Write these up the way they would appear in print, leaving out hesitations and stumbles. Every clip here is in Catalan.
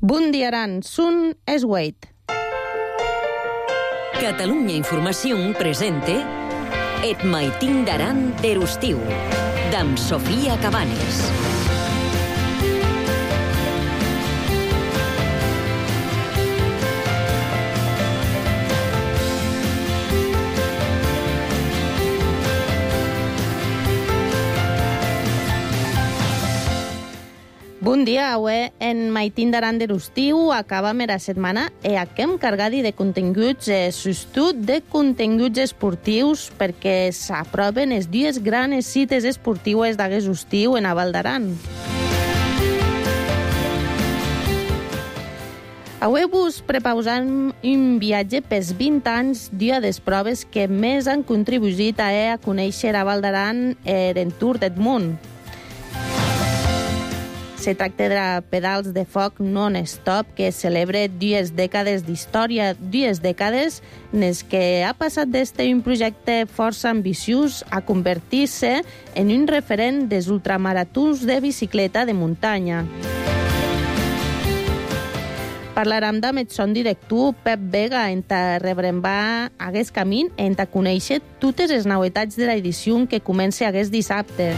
Bon dia, Aran. Sun és Wade. Catalunya Informació presente Et maitin d'Aran d'Erustiu, d'am Sofia Cabanes. Bon dia, avui en maitin d'Aran d'Erustiu acabam la setmana e aquem cargadi de continguts, sostut de continguts esportius perquè s'aproven les dues grans cites esportives d'aquest estiu en a Val d'Aran. Avui vos prepausam un viatge pels 20 anys d'una de les proves que més han contribuït a conèixer a Val d'Aran l'entorn del món. Se tracta de pedals de foc non-stop que celebra 2 dècades d'història, 2 dècades en les que ha passat d'este un projecte força ambiciós a convertir-se en un referent dels ultramaratons de bicicleta de muntanya. Parlarem amb el son director Pep Vega en rebrembar aquest camí i en conèixer totes les novetats de l'edició que comença aquest dissabte.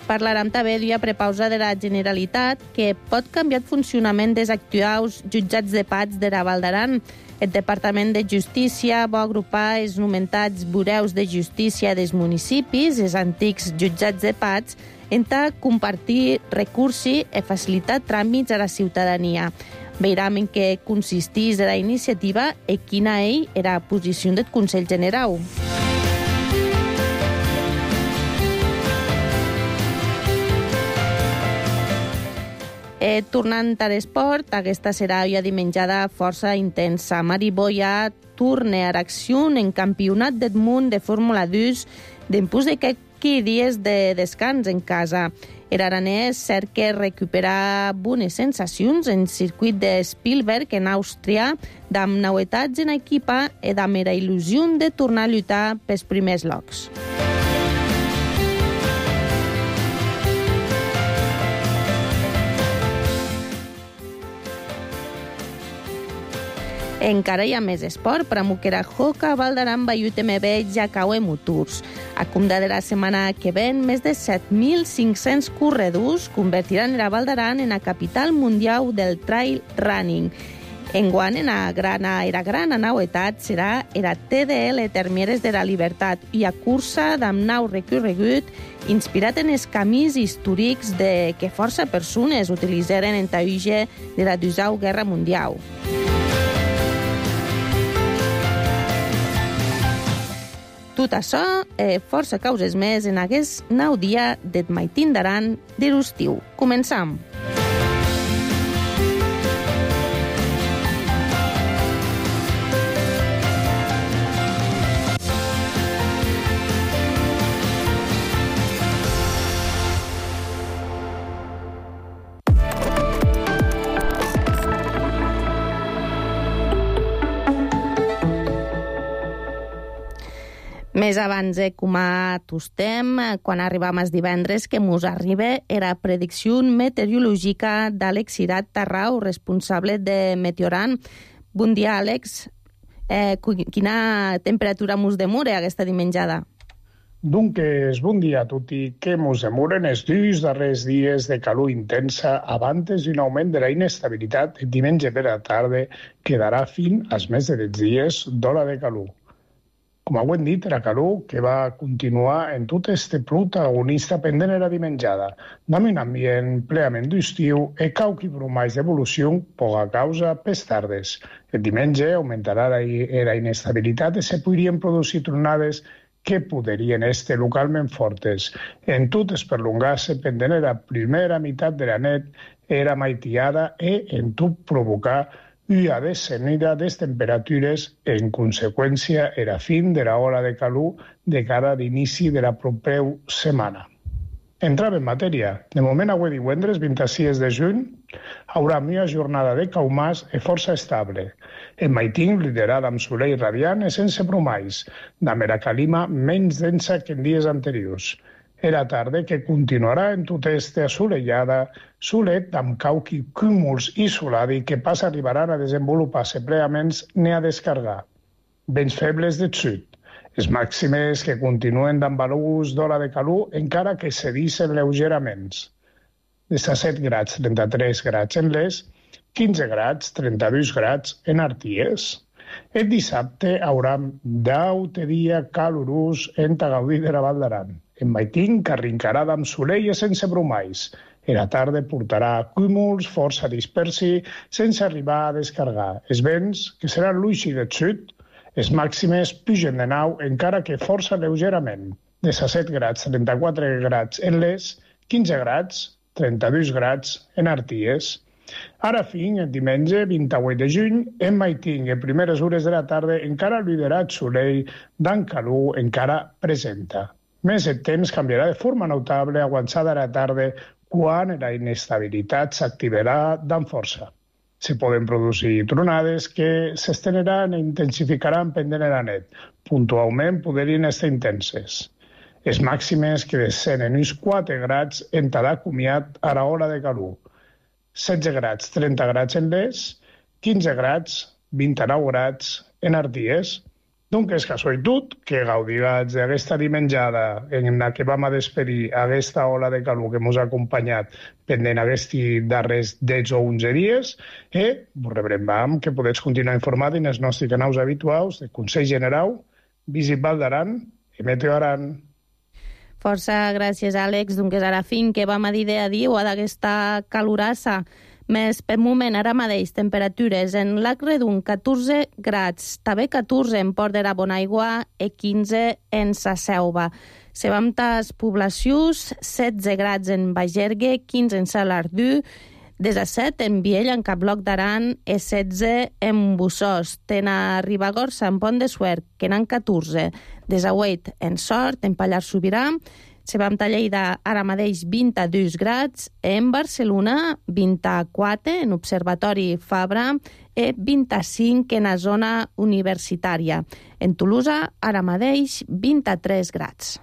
Parlarem també d'una prepausa de la Generalitat que pot canviar el funcionament dels actuals jutjats de pats de la Val d'Aran. El Departament de Justícia va agrupar els nomentats bureus de justícia dels municipis, els antics jutjats de pats, en compartir recursos i facilitar tràmits a la ciutadania. Veurem en què consisteix la iniciativa i quina era la posició del Consell General. Tornant a l'esport, aquesta serà una dimenjada força intensa. Mari Boya torna a l'acció en campionat del món de Fórmula 2 després de 15 dies de descans en casa. L'aranès cerca recuperar bones sensacions en circuit de Spielberg en Àustria, amb novetats en equipa i amb la il·lusió de tornar a lluitar pels primers llocs. Encara hi ha més esport, però Muquera Hoca, Val d'Aran, UTMB, Jacaue Motors. A compte de la setmana que ven, més de 7.500 corredors convertiran la Val d'Aran en la capital mundial del trail running. Enguany, la gran novetat serà la TDL Termieres de la Libertat i a cursa d'am nou recorregut inspirat en els camins històrics que força persones utilitzaren en l'auge de la Segona Guerra Mundial. Tot això, força causes més en aquest nou dia del maitin d'Aran d'Erustiu. Començam. Més abans, com a tostem, quan arribam els divendres, que mos arriba era predicció meteorològica d'Àlex Cirat Tarrau, responsable de Meteoran. Bon dia, Àlex. Quina temperatura mos demora aquesta dimenjada? Doncs, bon dia a tutti. Que mos demoren els 2 darrers dies de calor intensa abans d'un augment de la inestabilitat diumenge per la tarda que darà fin als més de 10 dies d'hora de calor. Com hem dit, la calor que va continuar en tot este protagonista pendent de la dimenjada, amb un ambient plenament d'estiu i qualque bromais d'evolució poca causa pels tardes. El diumenge augmentarà la inestabilitat i se podrien produir tronades que podrien estar localment fortes. En tot es perllongar-se pendent de la primera meitat de la nit era maitiada i en tot provocar una descenida de les temperatures en conseqüència era fin de l'hora de calor de cara a l'inici de la propera setmana. Entrava en matèria. De moment, avui divendres, 26 de juny, haurà una jornada de caumàs i força estable. El maitin liderat amb solell radiant i sense bromais, amb la calima menys densa que en dies anteriors. Era tarda que continuarà en tota esta assolellada, solet amb cauqui cúmuls i soladi que pas arribaran a desenvolupar-se plenament ni a descargar. Vents febles de sud. Les màximes que continuen amb valors d'ola de calor encara que cedissin lleugerament. 17 grads, 33 grads en les, 15 grads, 32 grads en Arties. El dissabte haurà 10 dia calorós en Tagaudí de la Val d'Aran. En Maitín carrincarà amb solell i sense brumais. La tarda portarà cúmuls força dispersi sense arribar a descargar. Els vents, que seran l'uixi de sud, les màximes pugen de nou encara que força lleugerament. 17 grads, 34 grads en les, 15 grads, 32 grads en Arties. Ara fin, el diumenge 28 de juny, en Maitín, en primeres hores de la tarda, encara liderat solell d'en calor encara presenta. Més el temps canviarà de forma notable avançada a la tarda quan la inestabilitat s'activarà d'en força. Se poden produir tronades que s'esteneran i intensificaran pendent la nit. Puntualment podrien estar intenses. Les màximes que descenen uns 4 grads en Tadà comiat a l'hora de calor. 16 grads, 30 grads en les, 15 grads, 29 grads en Arties. Donc és casualitat que gaudiràs d'aquesta dimenjada en la que vam a despedir aquesta ola de calor que ens ha acompanyat pendent aquests darrers 10 o 11 dies i vos rebrem que podeu continuar informat en els nostres canals habituals de Consell General, Visit Val d'Aran i Meteo Aran. Força gràcies, Àlex. Donc és ara fin que vam a dir a dir o d'aquesta calorassa. Més per moment, ara mateix, temperatures en Lac Redon, 14 grads, també 14 en Port de la Bonaigua i 15 en Sa Selva. Sevamtas poblacions, 16 grads en Bagergue, 15 en Salardú, 17 en Viella, en Caploc d'Aran, i 16 en Bussós. Tena Ribagorça, en Pont de Suert, que n'han 14. 18 en Sort, en Pallars Sobirà. Sevamta Lleida, ara mateix 22 grads. En Barcelona, 24 en Observatori Fabra i 25 en la zona universitària. En Tolosa, ara mateix 23 grads.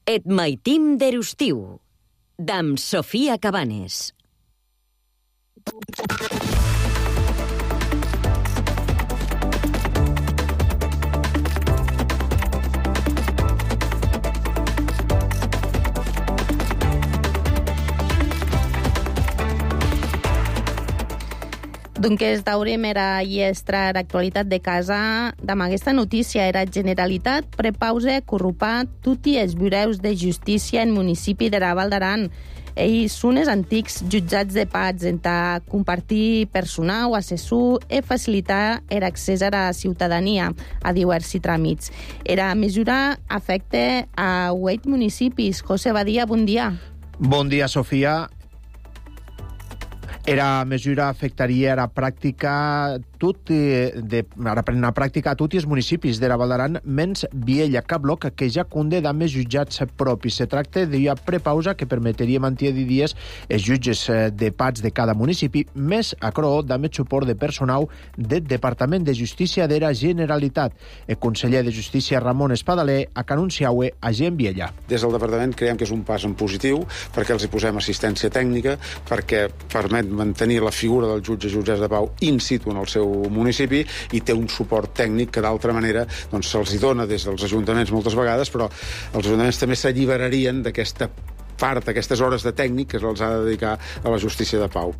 Et maitim d'Erustiu, d'amb Sofia Cabanes. Donc es daurem era iestra l'actualitat de casa amb aquesta notícia. Era Generalitat prepausa corrupar tutti els bureus de justícia en municipi de la Val d'Aran. Ells són els antics jutjats de pats en compartir personal, assessor i facilitar l'accés a la ciutadania a diversos tràmits. Era mesura afecta a 8 municipis. José Badia, bon dia. Bon dia, Sofia. Era mesura afectaria a la pràctica a tots els municipis de la Val d'Aran, menys Viella, Caploc, que ja conté amb els jutjats propis. Se tracta d'una prepausa que permetria mantenir dies els jutges de pats de cada municipi, més acro amb el suport de personal del Departament de Justícia de la Generalitat. El conseller de Justícia, Ramon Espadaler, ha anunciat a gent Viella. Des del Departament creiem que és un pas en positiu perquè els hi posem assistència tècnica, perquè permet mantenir la figura del jutges de pau in situ en el seu municipi i té un suport tècnic que d'altra manera doncs, se'ls hi dona des dels ajuntaments moltes vegades, però els ajuntaments també s'alliberarien d'aquesta part, aquestes hores de tècnic que se'ls ha de dedicar a la justícia de pau.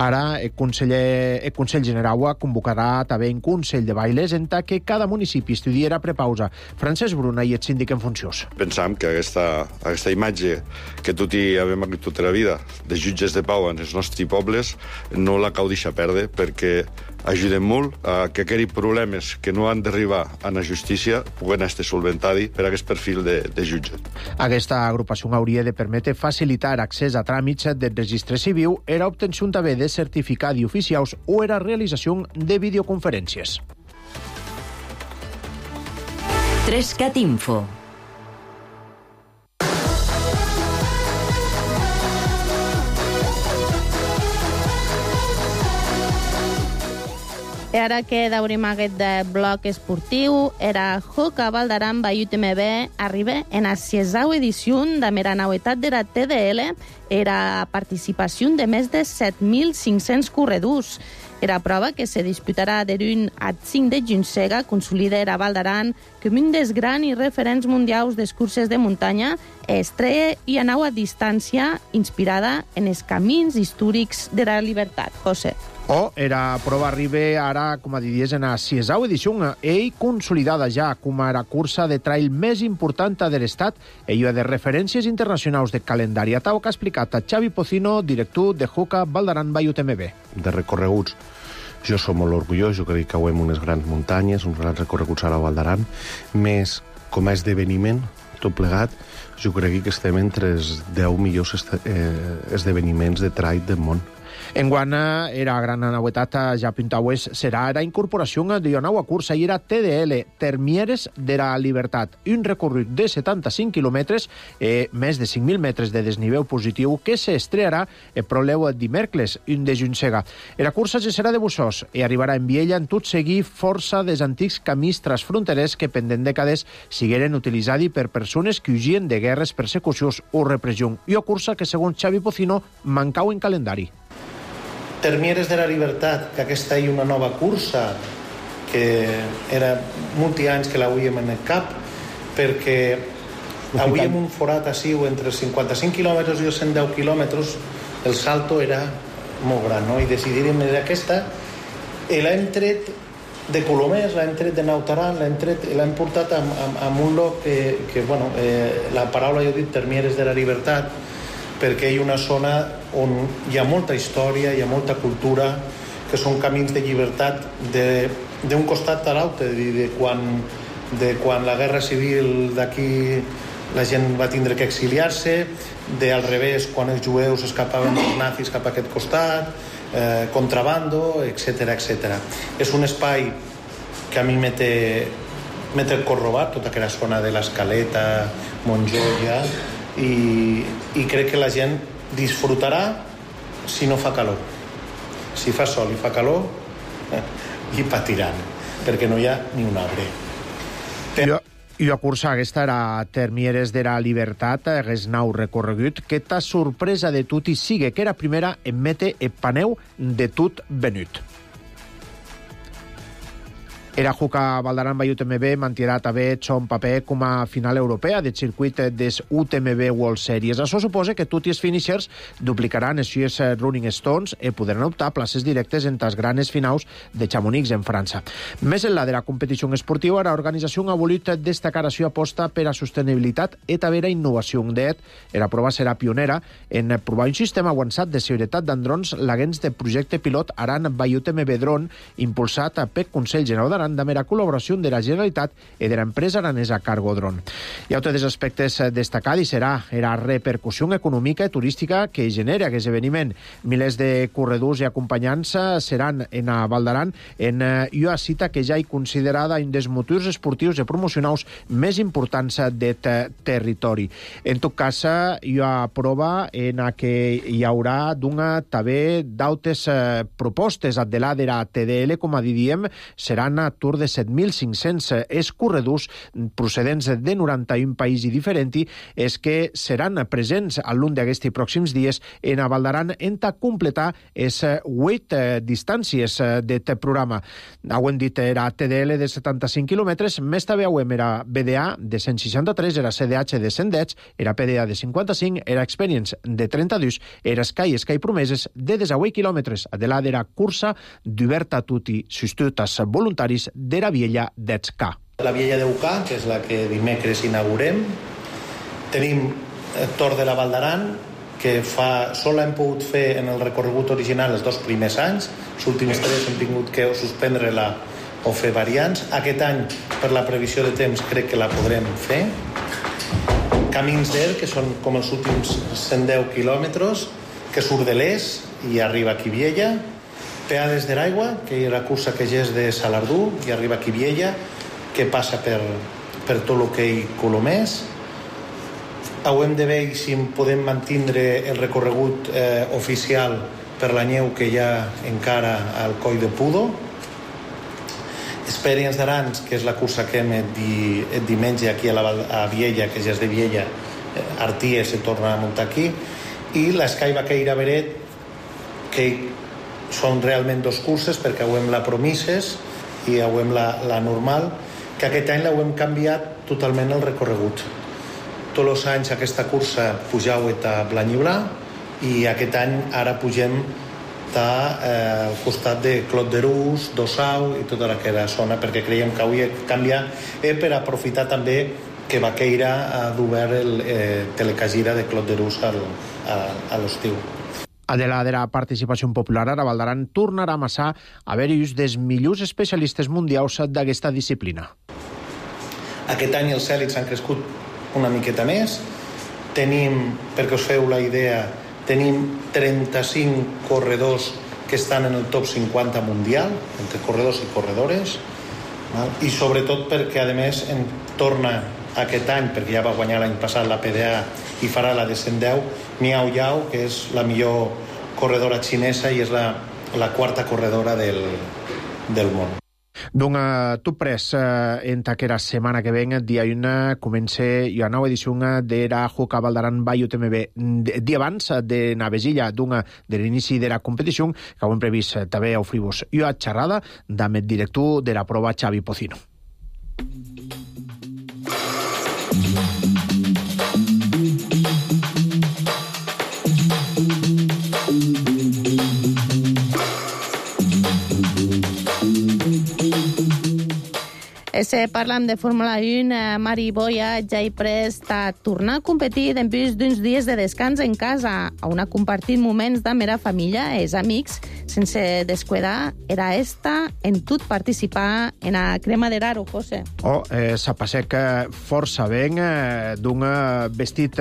Ara, el Consell General convocarà també un Consell de Bailes en què cada municipi estudiarà prepausa. Francesc Bruna i el síndic en funcions. Pensam que aquesta imatge que tot hi havem hagut tota la vida de jutges de pau en els nostres pobles no la cal deixar perdre perquè ajudem molt a que aquells problemes que no han d'arribar a la justícia puguen estar solventats per aquest perfil de jutge. Aquesta agrupació hauria de permetre facilitar accés a tràmits del registre civil, era obtenció també de certificats oficials o era realització de videoconferències. 3CAT Info. I ara que daurem aquest bloc esportiu, era Hoka Valdaran by UTMB arriba en la 6ª edició de la nauetat de la TDL, era participació de més de 7.500 corredors. Era prova que se disputarà de l'1 al 5 de juny, consolida era Valdaran com un dels grans referents mundials de curses de muntanya, estrella i a nova distància inspirada en els camins històrics de la llibertat. José. Era prova arriba ara, com a diries, en la 6ª edició, ell consolidada ja com a la cursa de trail més important de l'estat, ella de referències internacionals de calendari. Atau que ha explicat a Xavi Pocino, director de Hoka Valdaran by UTMB. De recorreguts, jo som molt orgullós, jo crec que creuem unes grans muntanyes, uns grans recorreguts a la Valdaran, més com a esdeveniment, tot plegat, jo crec que estem entre els 10 millors esdeveniments de trail del món. Enguany era gran novetat ja pintaues serà la incorporació d'una nova cursa i era TDL, Termieres de la Libertat, un recorregut de 75 quilòmetres, més de 5.000 metres de desnivell positiu que s'estrearà el proleu dimecres, 1 de juny. La cursa ja serà de Bussós i arribarà en Viella en tot seguir força dels antics camins transfronterers que pendent dècades sigueren utilitzats per persones que fugien de guerres, persecucions o repressió. I una cursa que, segons Xavi Pocino, mancau en calendari. Termieres de la Libertat, que aquesta és una nova cursa que era molts anys que l'hauríem en el cap, perquè hauríem un forat així entre 55 quilòmetres i 110 quilòmetres, el salto era molt gran, no? I decidirem aquesta, i l'hem tret de Colomers, l'hem tret de Nautaran, l'hem portat a un lloc que bueno, la paraula jo he dit Termieres de la Libertat, perquè hi ha una zona on hi ha molta història, hi ha molta cultura, que són camins de llibertat d'un costat a l'altre, de quan la guerra civil d'aquí la gent va tindre que exiliar-se, al revés, quan els jueus escapaven dels nazis cap a aquest costat, contrabando, etc. És un espai que a mi m'he el cor robat, tota aquella zona de l'Escaleta, Montjoia, i crec que la gent disfrutarà si no fa calor. Si fa sol i fa calor, hi patiran, perquè no hi ha ni un arbre. I la cursa aquesta era Termieres de la Libertat, hagués nou recorregut, que ta sorpresa de tot i sigue que era primera en mete el paneu de tot venut. Era Hoka Valdaran by UTMB mantirà també son paper com a final europea del circuit des UTMB World Series. Això suposa que tots els finishers duplicaran els US Running Stones i podran optar places directes en les grans finals de Chamonix en França. Més enllà de la competició esportiva, l'organització ha volut destacar la seva aposta per a sostenibilitat i també la innovació. D'et, la prova serà pionera en provar un sistema avançat de seguretat d'androns laguens de projecte pilot Aran by UTMB Drone, impulsat per Consell General d'Aran de la col·laboració de la Generalitat i de l'empresa aranesa Cargo Drone. Hi ha altres aspectes destacats i serà la repercussió econòmica i turística que genera aquest esdeveniment. Milers de corredors i acompanyants seran en Valdaran en una cita que ja hi considerada un dels motors esportius i promocionals més importants del territori. En tot cas, hi ha prova en què hi haurà també d'altres propostes de la TDL, com a diem, seran a tour de 7.500 escorredors procedents de 91 països diferents és que seran presents a l'un d'aquests pròxims dies en Valdaran en completar les 8 distàncies d'aquest programa. Ho hem dit, era TDL de 75 quilòmetres, més també ho hem era BDA de 163, era CDH de 110, era PDA de 55, era Experience de 32, era Sky Promeses de 18 quilòmetres. De la cursa d'oberta a tutti sostutas voluntaris de la Viella d'Etscà. La Viella d'Eucà, que és la que dimecres inaugurem. Tenim el Tor de la Valdaran, que sol hem pogut fer en el recorregut original els 2 primers anys. Els últims 3 hem tingut que suspendre-la o fer variants. Aquest any, per la previsió de temps, crec que la podrem fer. Camins d'Er, que són com els últims 110 quilòmetres, que surt de l'Es i arriba aquí a Viella. Peades de l'Aigua, que és la cursa que ja és de Salardú i arriba aquí a Viella, que passa per tot el que hi Colomers. Hem de veure si podem mantindre el recorregut oficial per la neu que hi ha encara al Coll de Pudo, Experience d'Arans, que és la cursa que hem et diumenge aquí a Viella, que ja és de Viella, Arties se torna a muntar aquí, i l'Sky Vaqueira Beret, que són realment dos curses, perquè avui la Promises i avui la normal, que aquest any l'hem canviat totalment el recorregut. Tots els anys aquesta cursa pujau a Blanyiblà i aquest any ara pugem al costat de Clot d'Erús, d'Ossau i tota aquella zona, perquè creiem que avui canvia per aprofitar també que Vaqueira ha d'obert el telecagira de Clot d'Erús a l'estiu. Adela de la participació popular, ara Valdaran tornarà a amassar a haver-hi dels millors especialistes mundials d'aquesta disciplina. Aquest any els èlits han crescut una miqueta més. Tenim, perquè us feu la idea, tenim 35 corredors que estan en el top 50 mundial, entre corredors i corredores, i sobretot perquè, a més, torna aquest any, perquè ja va guanyar l'any passat la PDA i farà la de 110, Miao Yao, que és la millor corredora xinesa i és la quarta corredora del món. Donc, tu pres en aquella setmana que ven, dia 1, comença la nova edició de la Hoka Valdaran by UTMB. Dia abans de Navesilla, de l'inici de la competició, que ho hem previst també a oferir-vos una xerrada amb el director de la prova, Xavi Pocino. Parlam de Fórmula 1, Mari Boya ja hi prest a tornar a competir després d'uns dies de descans en casa, on ha compartit moments de mera família i amics, sense descuidar, era en tot participar en la crema de raro, José. S'apassec força ben d'un vestit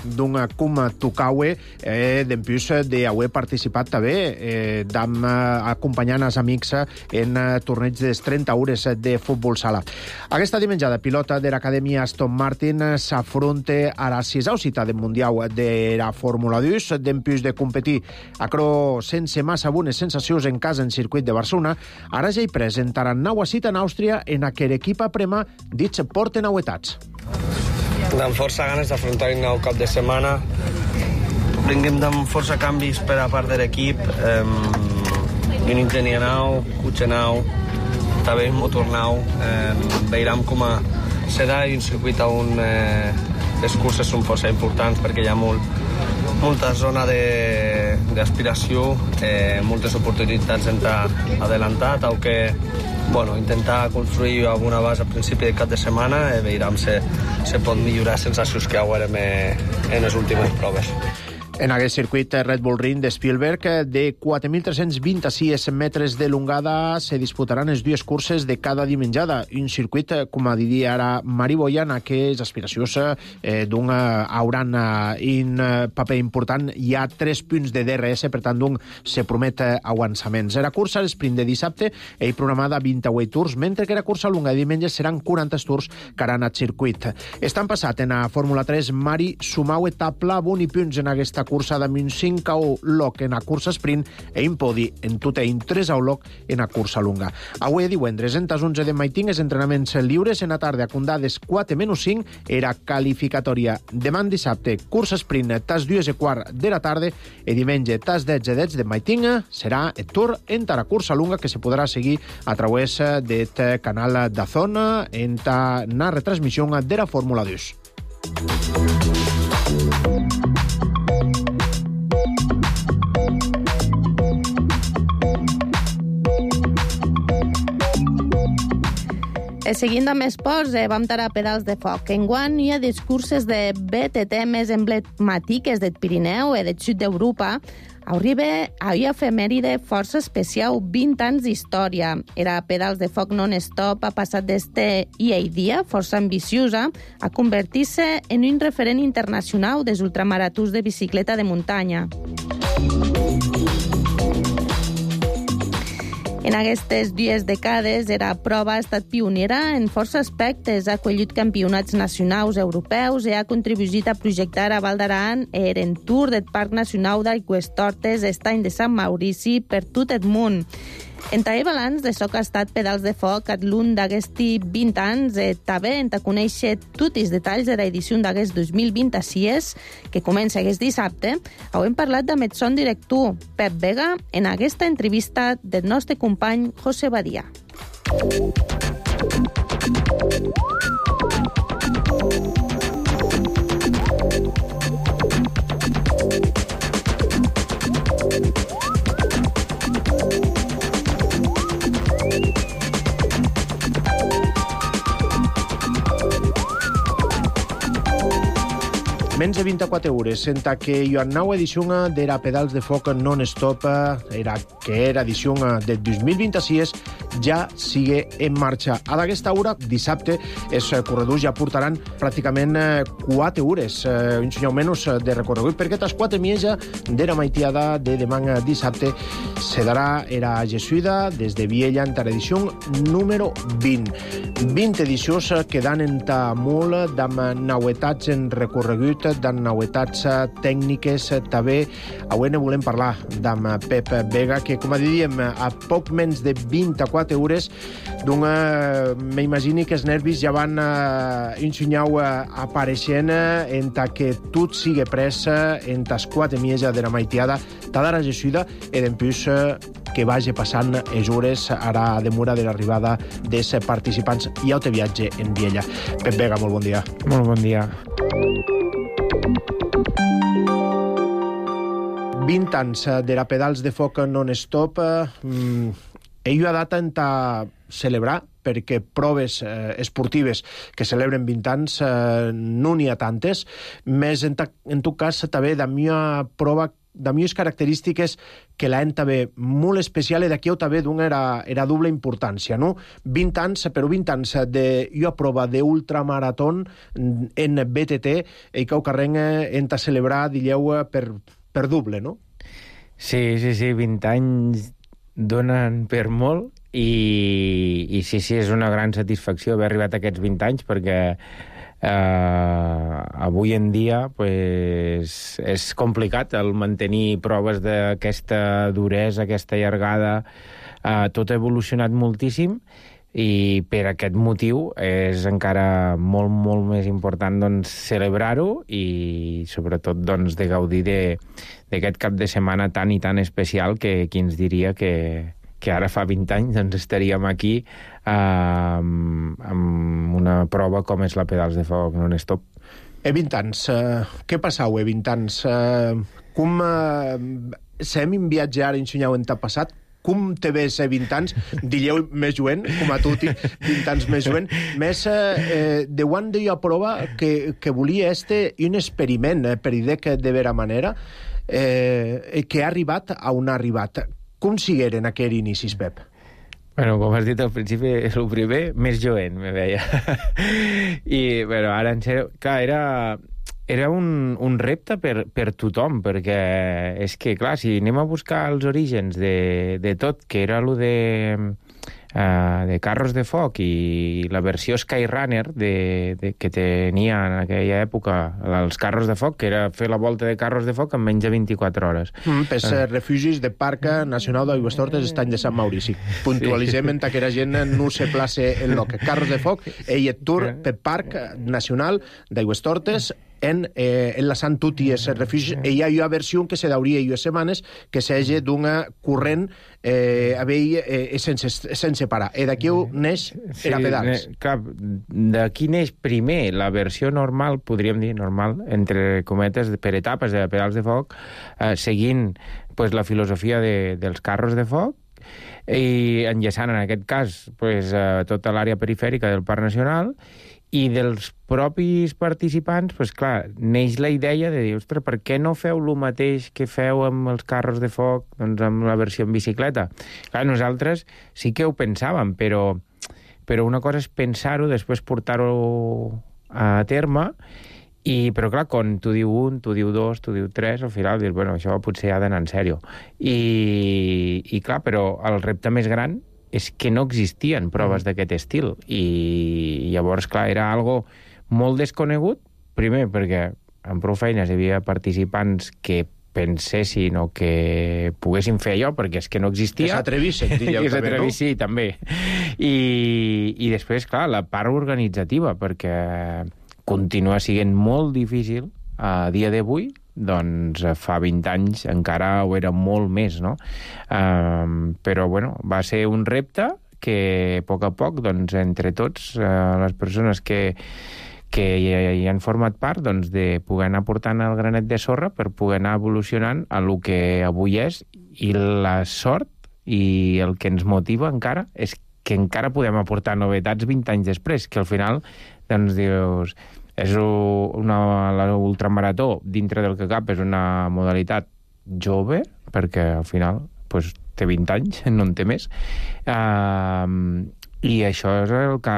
d'un cum tocaue d'empús d'haver participat també acompanyant els amics en torneig de 30 hores de futbol sala. Aquesta dimenjada, pilota de l'Acadèmia Aston Martin s'afronta a la 6a cita del Mundial de la Fórmula 2, d'empús de competir sense massa bones sensacions en casa en circuit de Barcelona. Ara ja hi presentaran nova cita en Àustria en aquell equip aprema dits porten novetats. Amb força ganes d'afrontar un nou cap de setmana. Vinguem amb força canvis per a part de l'equip. Un ingenier nou, cotxe nou, també un motor nou. Veurem com serà un circuit on les curses són força importants perquè hi ha molta zona d'aspiració, moltes oportunitats d'entrar adelantat, o que intentar construir alguna base al principi del cap de setmana i veurem si pot millorar sensacions que haurem en les últimes proves. En aquest circuit Red Bull Ring de Spielberg, de 4.326 metres de longada, se disputaran les dues curses de cada dimenjada. Un circuit, com diria ara Mari Boya, en aquestes aspiracions hauran un paper important. Hi ha 3 punts de DRS, per tant, se promet avançaments. La cursa l'esprint de dissabte és programada 28 tours, mentre que la cursa longa de diumenge seran 40 tours que aran al circuit. Estan passat en la Fórmula 3, Mari sumau etapla boni punts en aquesta cursa de 5 loc en la cursa sprint i un podi en totein 3 loc en la cursa lunga. Avui divendres, en tas 11 de maiting, els entrenaments lliures en la tarda a Condades 4-5 era qualificatòria. Demà dissabte, cursa sprint tas 2:15 de la tarda i diumenge tas 10 de maiting serà el tour en la cursa lunga que se podrà seguir a través del canal DAZN en la retransmissió de la Fórmula 2. Seguint amb esports, vam estar a pedals de foc. Enguany hi ha les curses de BTT més emblemàtiques del Pirineu i del sud d'Europa. Arriba a una efemèride força especial, 20 anys d'història. Era pedals de foc non-stop, ha passat d'este dia força ambiciosa a convertir-se en un referent internacional dels ultramaratons de bicicleta de muntanya. En aquestes 2 dècades, la prova ha estat pionera en força aspectes, ha acollit campionats nacionals europeus i ha contribuït a projectar a Val d'Aran en tour del Parc Nacional d'Aigüestortes, Estany de Sant Maurici, per tot el món. Entà el balanç de soc ha estat pedals de foc at l'un d'aguesti 20 anys, també entà conèixer tots els detalls de l'edició d'aguest 2026, que comença aquest dissabte. Hem parlat amb el son director Pep Vega en aquesta entrevista del nostre company José Badia. Menys de 24 hores, senta que hi ha nova edició d'era Pedals de Foc non-stop, que era edició del 2026, ja sigue en marxa. A d'aquesta hora, dissabte, els corredors ja portaran pràcticament 4 hores, un senyor menys de recorregut, perquè tas 4 mitja d'era maitiada de demà dissabte se darà era Jesuïda des de Viella en l'edició número 20. 20 edicions quedant en molt d'amb novetats en recorregut, d'amb novetats tècniques també. Avui ne volem parlar amb Pep Vega, que, com diríem, a poc menys de 24 hores, m'imagini que els nervis ja van ensenyau apareixent en que tot sigui pres en tas 4 mitja de la maitiada d'ara Jesuïda i d'empús que vagi passant les hores ara a demora de l'arribada dels participants i autoviatge en Viella. Pep Vega, molt bon dia. Molt bon dia. 20 anys d'era Pedals de Foc non-stop. Ell ha data en celebrar, perquè proves esportives que celebren 20 anys no n'hi ha tantes, més en tot cas també de una prova de millors característiques que l'han també molt especial i d'aquí també d'una era doble importància, no? 20 anys, però 20 anys d'una prova d'ultramaratón en BTT i que ho carreguen en celebrar, dilleu, per doble, no? Sí, 20 anys donen per molt i sí, és una gran satisfacció haver arribat a aquests 20 anys perquè avui en dia pues, és complicat el mantenir proves d'aquesta duresa, aquesta llargada. Tot ha evolucionat moltíssim i per aquest motiu és encara molt, molt més important doncs, celebrar-ho i sobretot doncs, de gaudir d'aquest cap de setmana tan i tan especial que qui ens diria que ara fa 20 anys doncs, estaríem aquí amb una prova com és la Pedals de Foc non-stop. 20 anys, què passau 20 anys? Com sem en viatge ara ensenyau en t'ha passat? Com te ves 20 anys? Dilleu més joven, com a tu, 20 anys més joven. Més, de quan deia prova que volia un experiment, per dir de vera manera, que ha arribat a on ha arribat. Com sigueren aquells inicis, Pep? Bueno, com has dit al principi, és el primer, més jovent, me veia. I, bueno, ara, en sèrio, clar, era un repte per tothom, perquè és que, clar, si anem a buscar els orígens de tot, que era allò de Carros de Foc i la versió Skyrunner que tenia en aquella època els Carros de Foc, que era fer la volta de Carros de Foc en menys de 24 hores. Pels refugis de Parc Nacional d'Aigüestortes Estany de Sant Maurici. Puntualitzem que la gent no se place en lo que Carros de Foc ell et tour per Parc Nacional d'Aigüestortes enlaçant tot i els refugis. Hi ha una versió que se dauria unes setmanes que s'hagi d'una corrent sense parar. I d'aquí neix era Pedals. Clar, d'aquí neix primer la versió normal, podríem dir normal, entre cometes, per etapes de Pedals de Foc, seguint pues, la filosofia dels Carros de Foc i enllaçant en aquest cas pues, tota l'àrea perifèrica del Parc Nacional. I dels propis participants, pues clar, neix la idea de dir, ostres, per què no feu el mateix que feu amb els Carros de Foc, doncs amb la versió en bicicleta? Clar, nosaltres sí que ho pensàvem, però una cosa és pensar-ho, després portar-ho a terme, però clar, quan tu diu un, tu diu dos, tu diu tres, al final dius, bueno, això potser ha d'anar en sèrio. I clar, però el repte més gran és que no existien proves d'aquest estil i llavors, clar, era algo molt desconegut, primer perquè en prou feines hi havia participants que pensessin o que poguessin fer allò, perquè és que no existia. Que s'atrevissin, diríeu també, no? Sí, també. I després, clar, la part organitzativa, perquè continua sent molt difícil a dia d'avui, doncs fa 20 anys encara ho era molt més, no? Però, bueno, va ser un repte que, a poc, doncs, entre tots, les persones que hi han format part, doncs, de poder anar portant el granet de sorra per poder anar evolucionant a lo que avui és, i la sort i el que ens motiva encara és que encara podem aportar novetats 20 anys després, que al final, doncs, dius, és l'ultramarató, dintre del que cap, és una modalitat jove, perquè al final doncs, té 20 anys, no en té més, i això és el que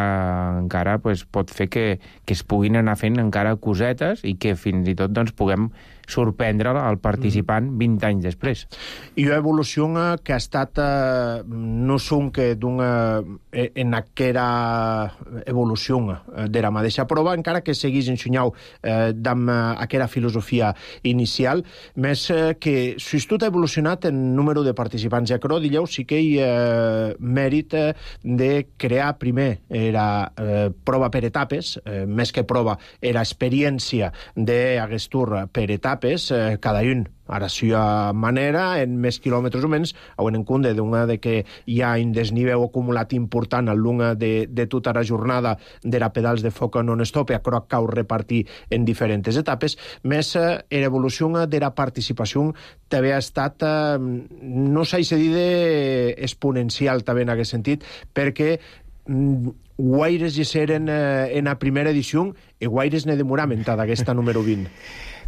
encara pot fer que es puguin anar fent encara cosetes i que fins i tot doncs, puguem sorprendre el participant 20 anys després. I una evolució que ha estat no sonque en aquera evolució de la mateixa prova, encara que seguís ensenyau amb aquella filosofia inicial, més que si tot ha evolucionat en número de participants. I acrò, dilleu, sí que hi ha mèrit de crear primer era prova per etapes, més que prova, era experiència d'Aguestur per etapes, cada un a la seva manera, en més quilòmetres o menys, en compte de que hi ha un desnivell acumulat important al long de tota la jornada de la pedals de foc non-stop, i acrò cau repartir en diferents etapes, més l'evolució de la participació també ha estat, no s'ha de dir exponencial també en aquest sentit, perquè guaires hi seren en la primera edició i guaires ne demoramen d'aquesta número 20.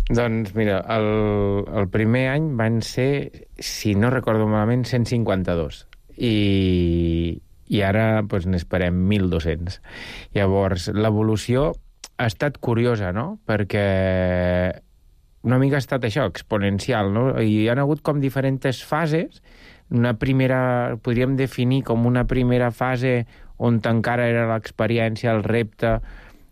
Doncs mira, el primer any van ser, si no recordo malament, 152. I ara doncs, n'esperem 1.200. Llavors, l'evolució ha estat curiosa, no? Perquè una mica ha estat això, exponencial, no? I hi ha hagut com diferents fases. Una primera, podríem definir com una primera fase on encara era l'experiència, el repte.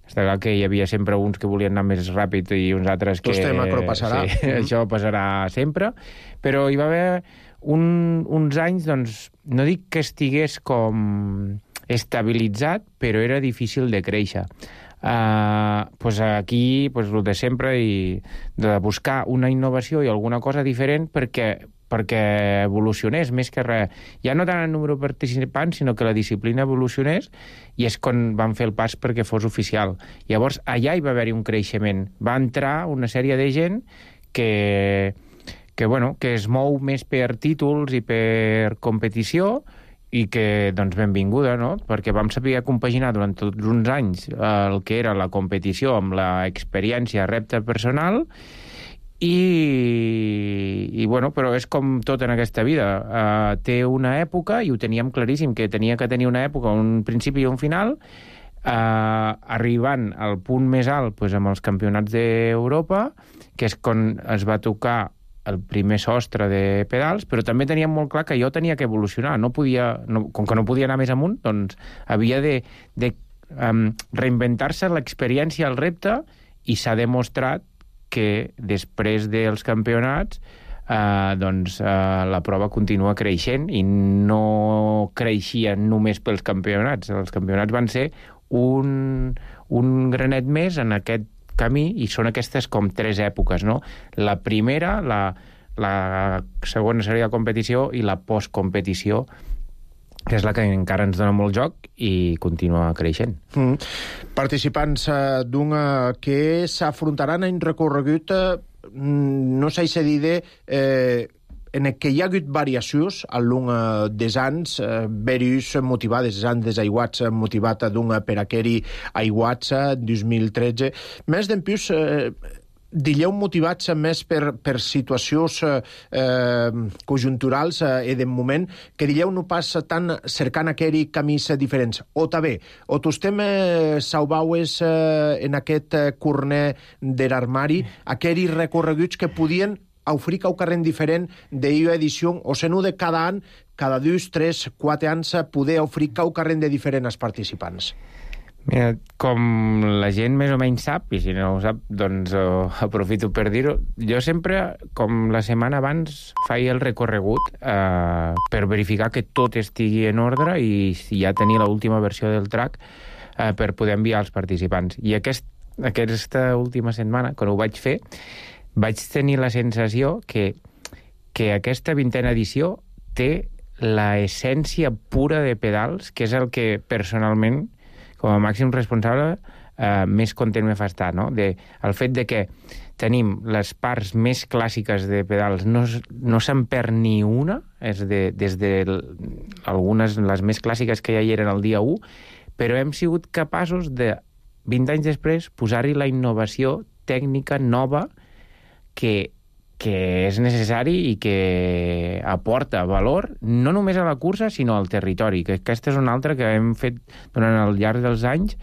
Està clar que hi havia sempre uns que volien anar més ràpid i uns altres que... Este macro passarà. Sí, això passarà sempre. Però hi va haver uns anys, doncs, no dic que estigués com estabilitzat, però era difícil de créixer. Pues aquí, pues, el de sempre, i de buscar una innovació i alguna cosa diferent perquè evolucionés, més que res. Ja no tant el número de participants, sinó que la disciplina evolucionés, i és quan van fer el pas perquè fos oficial. Llavors, allà hi va haver-hi un creixement. Va entrar una sèrie de gent que es mou més per títols i per competició, i que, doncs, benvinguda, no? Perquè vam saber compaginar durant tots uns anys el que era la competició amb l'experiència, repte personal, i bueno, però és com tot en aquesta vida. Té una època, i ho teníem claríssim, que tenia que tenir una època, un principi i un final, arribant al punt més alt doncs, amb els campionats d'Europa, que és quan es va tocar el primer sostre de pedals, però també teníem molt clar que jo tenia que evolucionar. Com que no podia anar més amunt, doncs havia de reinventar-se l'experiència, el repte, i s'ha demostrat que després dels campionats la prova continua creixent, i no creixia només pels campionats. Els campionats van ser un granet més en aquest camí, i són aquestes com 3 èpoques, no? La primera, la segona seria la competició, i la postcompetició, que és la que encara ens dona molt joc i continua creixent. Participants d'una que s'afrontaran en recorregut, no s'ha de dir en què hi ha hagut variacions al long dels anys, varios motivades, els anys desaiguats, motivat d'un per aqueri aiguats 2013. Més d'en plus, dilleu motivats més per situacions conjunturals i de moment, que dilleu no pas tant cercant aqueri camins diferents. O també, o tostem saubaues en aquest corner de l'armari, aqueri recorreguts que podien oferir un carrer diferent d'una edició, o se no de cada any, cada 2, 3, 4 anys, poder oferir un carrer de diferents participants. Mira, com la gent més o menys sap, i si no ho sap, doncs aprofito per dir-ho, jo sempre, com la setmana abans, faig el recorregut per verificar que tot estigui en ordre i ja tenir l'última versió del track per poder enviar als participants. I aquesta última setmana, quan ho vaig fer, vaig tenir la sensació que aquesta 20a edició té la essència pura de pedals, que és el que personalment, com a màxim responsable, més content me fa estar, no? El fet de que tenim les parts més clàssiques de pedals, no se'n perd ni una, des de algunes, les més clàssiques que ja hi eren el dia 1, però hem sigut capaços de, 20 anys després, posar-hi la innovació tècnica nova que és necessari i que aporta valor no només a la cursa, sinó al territori, que aquesta és una altra que hem fet durant el llarg dels anys,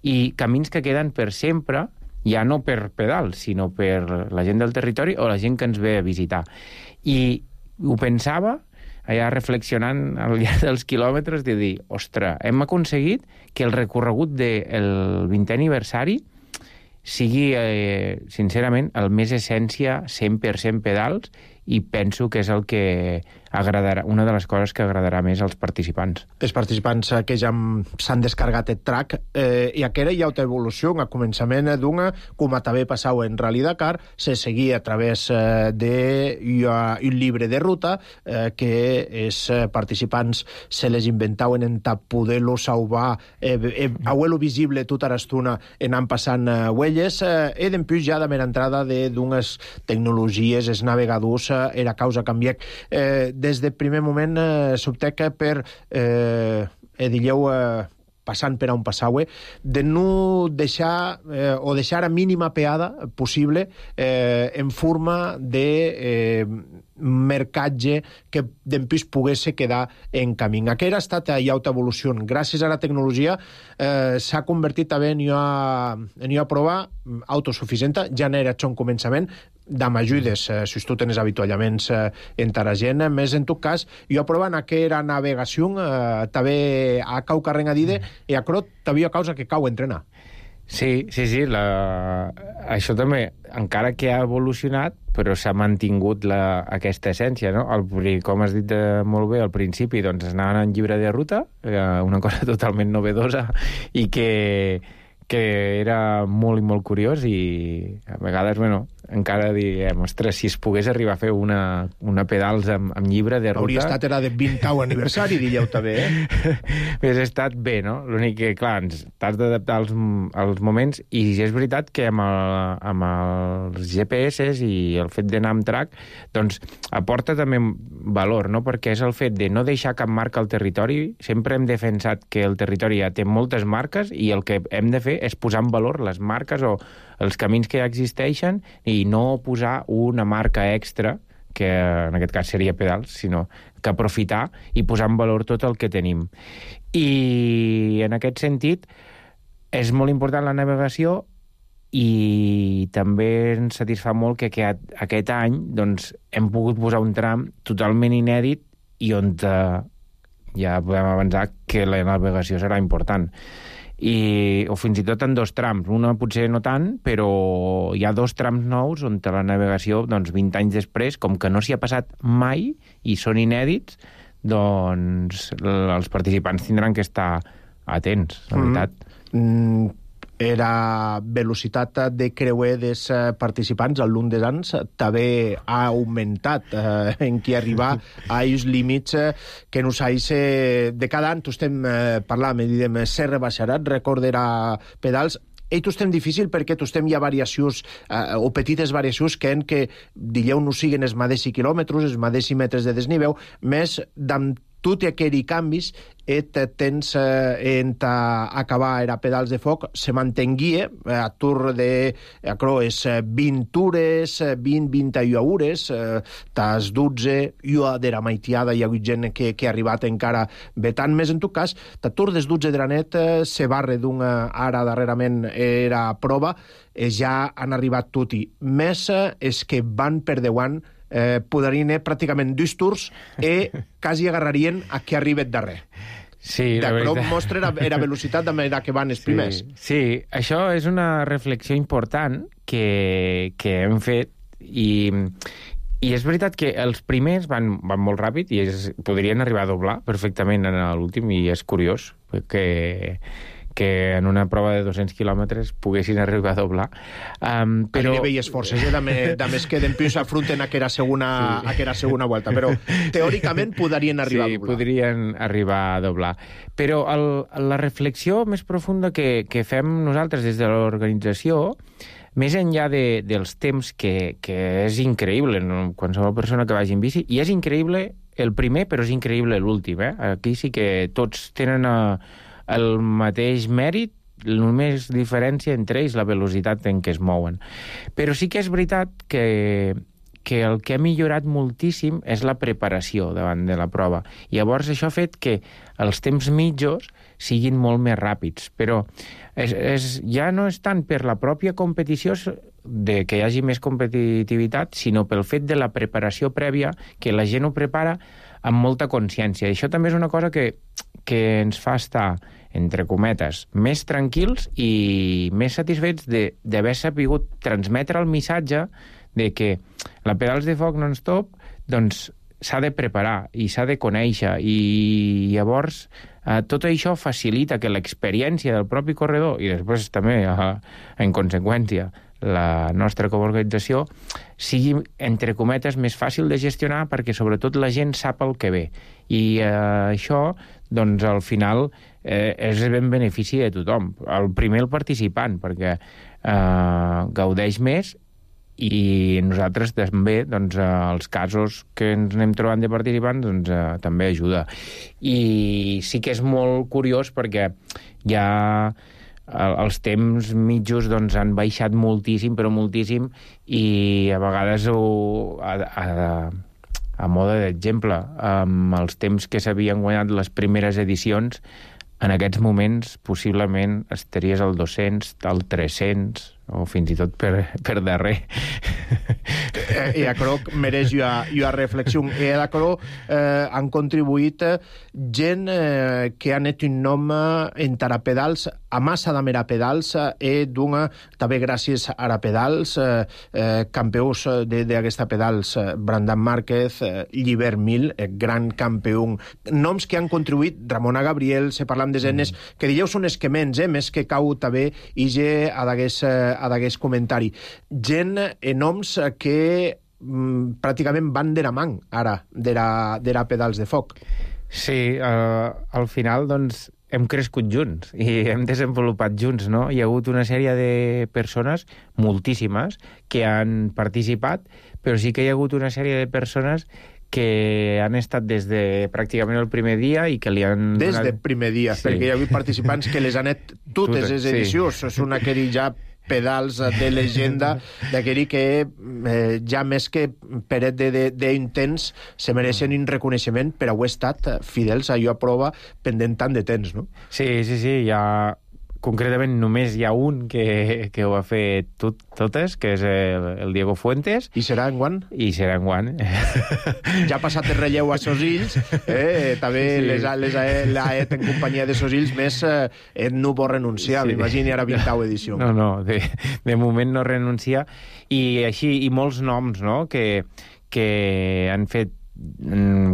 i camins que queden per sempre, ja no per pedals, sinó per la gent del territori o la gent que ens ve a visitar. I ho pensava, allà reflexionant al llarg dels quilòmetres, de dir, ostres, hem aconseguit que el recorregut del 20è aniversari sigui, sincerament, el més essència 100% pedals, i penso que és el que agradarà, una de les coses que agradarà més als participants. Els participants que ja s'han descargat el track, i aquera hi ha una evolució, a començament d'una, com també passava en Rally Dakar, se seguia a través d'un llibre de ruta que els participants se les inventaven en poder-lo salvar, a-lo visible tota l'estona anant passant huelles, i d'empús ja de mera entrada d'unes tecnologies, els navegadors, era causa canviar. Des del primer moment s'optec per, digueu, passant per on passau, de no deixar, o deixar a mínima peada possible en forma de mercatge que d'empús pogués quedar en camí. Aquesta ha estat ja una evolució. Gràcies a la tecnologia s'ha convertit també en una prova autosuficient, ja n'era un començament, amb ajudes, si tu tens avituallaments en ta gent, més en tot cas, jo provant aquella navegació també a cau carrega d'ide i a crot també a causa que cau entrenar. Sí, això també, encara que ha evolucionat, però s'ha mantingut aquesta essència, no? Com has dit molt bé al principi, doncs anaven en llibre de ruta, una cosa totalment novedosa i que era molt i molt curiós, i a vegades, encara diem, ostres, si es pogués arribar a fer una pedals amb llibre de ruta... Hauria estat de 20º aniversari, diríeu també, Hauria estat bé, no? L'únic que, clar, t'has d'adaptar als moments, i és veritat que amb els GPS i el fet d'anar amb track, doncs aporta també valor, no? Perquè és el fet de no deixar cap marca al territori. Sempre hem defensat que el territori ja té moltes marques, i el que hem de fer és posar en valor les marques o els camins que ja existeixen, i no posar una marca extra, que en aquest cas seria pedals, sinó que aprofitar i posar en valor tot el que tenim. I en aquest sentit és molt important la navegació, i també ens satisfà molt que aquest any doncs, hem pogut posar un tram totalment inèdit, i on ja podem avançar que la navegació serà important. O fins i tot en 2 trams, una potser no tant, però hi ha 2 trams nous on la navegació, doncs 20 anys després, com que no s'hi ha passat mai i són inèdits, doncs els participants tindran que estar atents, la veritat. La velocitat de creuer dels participants al llarg dels anys també ha augmentat en qui arribar a aquests límits que nosaltres de cada any estem parlant, diguem, se rebaixaran, recordarà pedals. Estem difícil perquè estem hi ha variacions o petites variacions que digueu no siguin els mateixos quilòmetres, els mateixos metres de desnivell, més d'amb tot i aquells canvis tens en acabar era pedals de foc se mantenguia a tour de és 20 tures, 20-21 hores, tas 12 jo de la maitiada hi ha hagut gent que ha arribat encara vetant més. En tot cas, ta tour des 12 de la net se barre d'una ara darrerament era prova, ja han arribat tot i més és que van per 10 anys podrien pràcticament 2 tours i quasi agarrarien a qui arribet darrer. Sí, la veritat. veritat. Mostra era velocitat de manera que van els primers. Sí, això és una reflexió important que hem fet i és veritat que els primers van molt ràpid i podrien arribar a doblar perfectament en l'últim, i és curiós que en una prova de 200 quilòmetres poguessin arribar a doblar. Però... Hi veies forces, més que d'empius afronten a que era segona volta, però teòricament podrien arribar a doblar. Sí, podrien arribar a doblar. Però la reflexió més profunda que fem nosaltres des de l'organització, més enllà dels temps, que és increïble, no? Qualsevol persona que vagi en bici, i és increïble el primer, però és increïble l'últim. Aquí sí que tots tenen el mateix mèrit, només diferència entre ells la velocitat en què es mouen. Però sí que és veritat que el que ha millorat moltíssim és la preparació davant de la prova. Llavors això ha fet que els temps mitjos siguin molt més ràpids, però ja no és tant per la pròpia competició de que hi hagi més competitivitat, sinó pel fet de la preparació prèvia, que la gent ho prepara amb molta consciència. I això també és una cosa que ens fa estar, entre cometes, més tranquils i més satisfets d'haver sapigut transmetre el missatge de que la Pedals de Foc non-stop doncs s'ha de preparar i s'ha de conèixer, i llavors tot això facilita que l'experiència del propi corredor, i després també, en conseqüència, la nostra coorganització, sigui, entre cometes, més fàcil de gestionar, perquè sobretot la gent sap el que ve. I això, doncs, al final, és en benefici de tothom. El primer, el participant, perquè gaudeix més, i nosaltres també, doncs, els casos que ens anem trobant de participants, doncs, també ajuda. I sí que és molt curiós perquè ja els temps mitjos doncs, han baixat moltíssim, però moltíssim, i a vegades a mode d'exemple, amb els temps que s'havien guanyat les primeres edicions, en aquests moments possiblement estaries al 200, al 300, o fins i tot per darrer. I aquello mereix una reflexió. I aquello han contribuït gent que han fet un nom en Tarapedals, a massa de mera pedals, d'una, també gràcies a la pedals, campions d'aquesta pedals, Brandon Márquez, Llibert Mil, gran campió, noms que han contribuït, Ramona Gabriel, se parlam de genes, que dieu són esquements, més que cau també ige a d'aquest comentari. Gent, noms que pràcticament van de la mà, ara, de la Pedals de Foc. Sí, al final, doncs, hem crescut junts i hem desenvolupat junts, no? Hi ha hagut una sèrie de persones, moltíssimes, que han participat, però sí que hi ha hagut una sèrie de persones que han estat des de pràcticament el primer dia i que li han... Des del primer dia, sí. Perquè hi ha hagut participants que les han anat totes les edicions. Sí. És una que ja pedals de llegenda, d'aquell que ja més que peret d'intents se mereixen un reconeixement per haver estat fidels a allò a prova pendent tant de temps, no? Sí, hi ha... Concretament només hi ha un que ho ha fet totes, que és el Diego Fuentes. I serà enguany? I serà enguany. Ja ha passat el relleu a Sosills, també sí. L'ha et en companyia de Sosills, més no vol renunciar, sí. M'imagini ara 20ª edició. No, de moment no renuncia. I així, i molts noms, no?, que han fet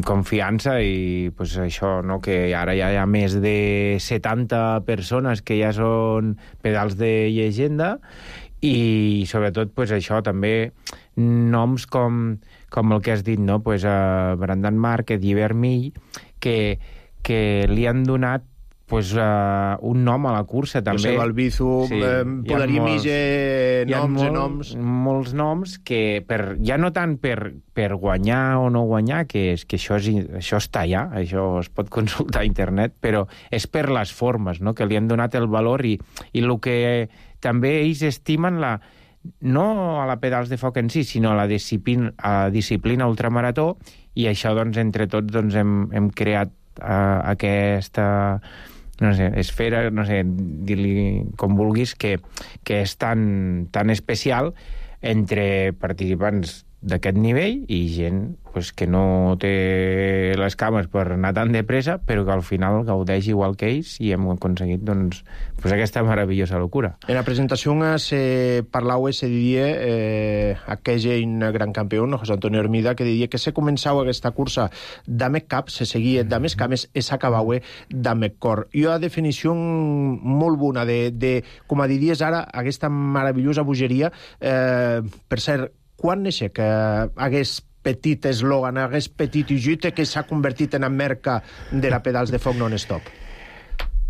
confiança i pues, això, no? Que ara ja hi ha més de 70 persones que ja són pedals de llegenda i sobretot pues, això també noms com el que has dit, no? Pues, Brandon Márquez, Llibert Mil, que li han donat pues, un nom a la cursa també. José Balbizu, sí, podríem noms. Molts noms que ja no tant per guanyar o no guanyar, que això està allà, això es pot consultar a internet, però és per les formes, no?, que li han donat el valor i el que també ells estimen no a la Pedals de Foc en si, sinó a la disciplina ultramarató, i això, doncs, entre tots, doncs, hem creat aquesta... no sé, esfera, no sé, dir-li com vulguis, que és tan especial entre participants d'aquest nivell i gent pues, que no té les cames per anar tan de pressa, però que al final gaudeix igual que ells i hem aconseguit doncs, aquesta meravellosa locura. En la presentación se parlava, se diria, aquell gran campió, José Antonio Hermida, que diria que se començava aquesta cursa d'Amec Cap, se seguia d'Amec Cames i s'acabava d'Amec Cor. I una definició molt bona de com diries ara, aquesta meravellosa bogeria. Per cert, quan neixer que hagués petit eslògan, hagués petit ujute que s'ha convertit en la marca de la Pedals de Foc non-stop?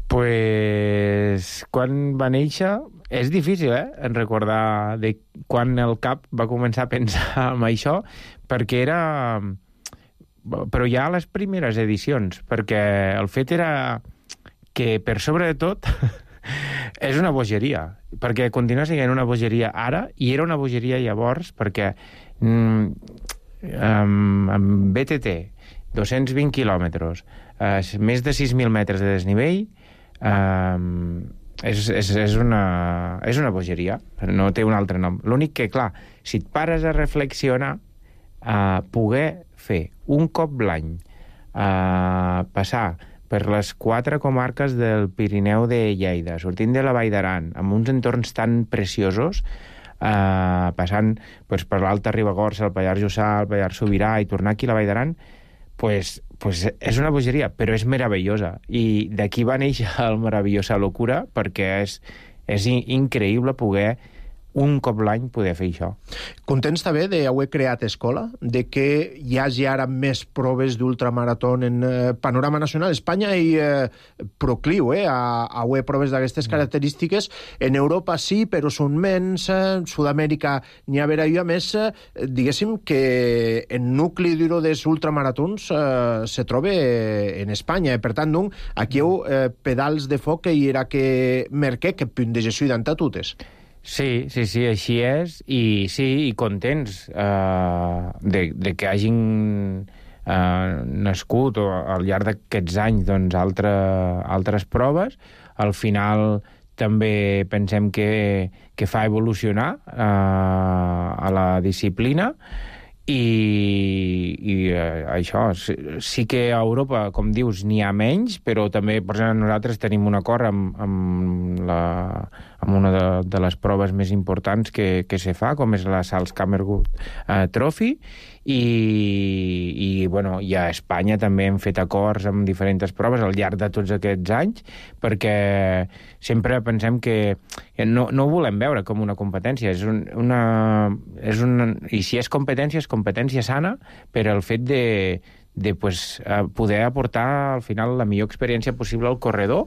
Pues quan va néixer és difícil, en recordar de quan el cap va començar a pensar en això, perquè era... Però ja a les primeres edicions, perquè el fet era que, per sobre de tot, és una bogeria, perquè continua sent una bogeria ara, i era una bogeria llavors, perquè amb BTT, 220 quilòmetres, més de 6.000 metres de desnivell, és una bogeria, no té un altre nom. L'únic que, clar, si et pares a reflexionar, poder fer un cop l'any, passar per les 4 comarques del Pirineu de Lleida, sortint de la Vall d'Aran, amb uns entorns tan preciosos, passant per l'Alta Ribagorça, el Pallars Jussà, el Pallars Sobirà i tornar aquí a la Vall d'Aran, pues és una bogeria, però és meravellosa. I d'aquí va néixer el meravellosa locura, perquè és increïble poder un cop l'any poder fer això. Contents també d'haver creat escola, de que hi hagi ara més proves d'ultramarató en panorama nacional. Espanya hi procliu a haver proves d'aquestes característiques. En Europa sí, però són menys. Sud-amèrica n'hi ha jo. A més, diguéssim que el nucli duro dels ultramaratons se troba en Espanya. Per tant, aquí hi ha Pedals de Foc que hi era que merquer que punt de Jesús d'antatutes. Sí, així és, i sí, i contents de que hagin nascut al llarg d'aquests anys doncs, altres proves. Al final també pensem que fa evolucionar a la disciplina, i això, sí que a Europa, com dius, n'hi ha menys, però també, per exemple, nosaltres tenim un acord amb una de les proves més importants que se fa, com és la Salzkammergut Trophy, i a Espanya també hem fet acords amb diferents proves al llarg de tots aquests anys, perquè sempre pensem que no ho volem veure com una competència, i si és competència sana, per al fet de poder aportar al final la millor experiència possible al corredor,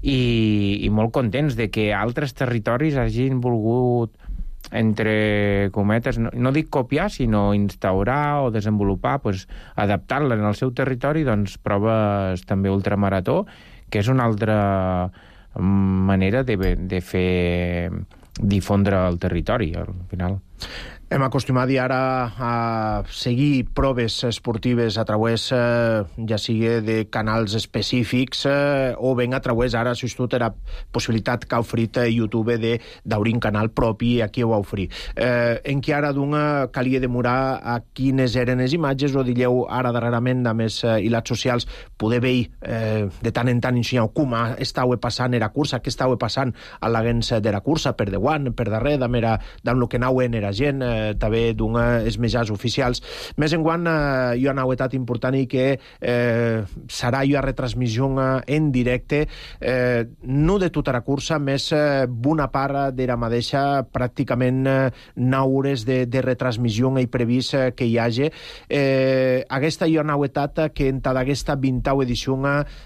i molt contents de que altres territoris hagin volgut, entre cometes, no dic copiar, sinó instaurar o desenvolupar, adaptar-la en el seu territori, doncs proves també ultramarató, que és una altra manera de fer difondre el territori, al final. Hem acostumat ara a seguir proves esportives a través, ja sigui de canals específics o ben a través, ara s'ha estat la possibilitat que ha ofert YouTube d'obrir un canal propi, i aquí ho ha ofert. En què ara calia demorar a quines eren les imatges, o digueu ara darrerament, a més, i les socials, poder veure de tant en tant ensenyar com estava passant la cursa, què estava passant a l'agents de la cursa, per davant, per darrere, d'amb el que anaven la gent, també dels mitjans oficials. Més enguant, hi ha una novetat important, i que serà una retransmissió en directe, no de tota la cursa, més bona part de la mateixa, pràcticament 9 hores de retransmissió i previst que hi hagi. Aquesta hi ha una novetat que en aquesta 20ª edició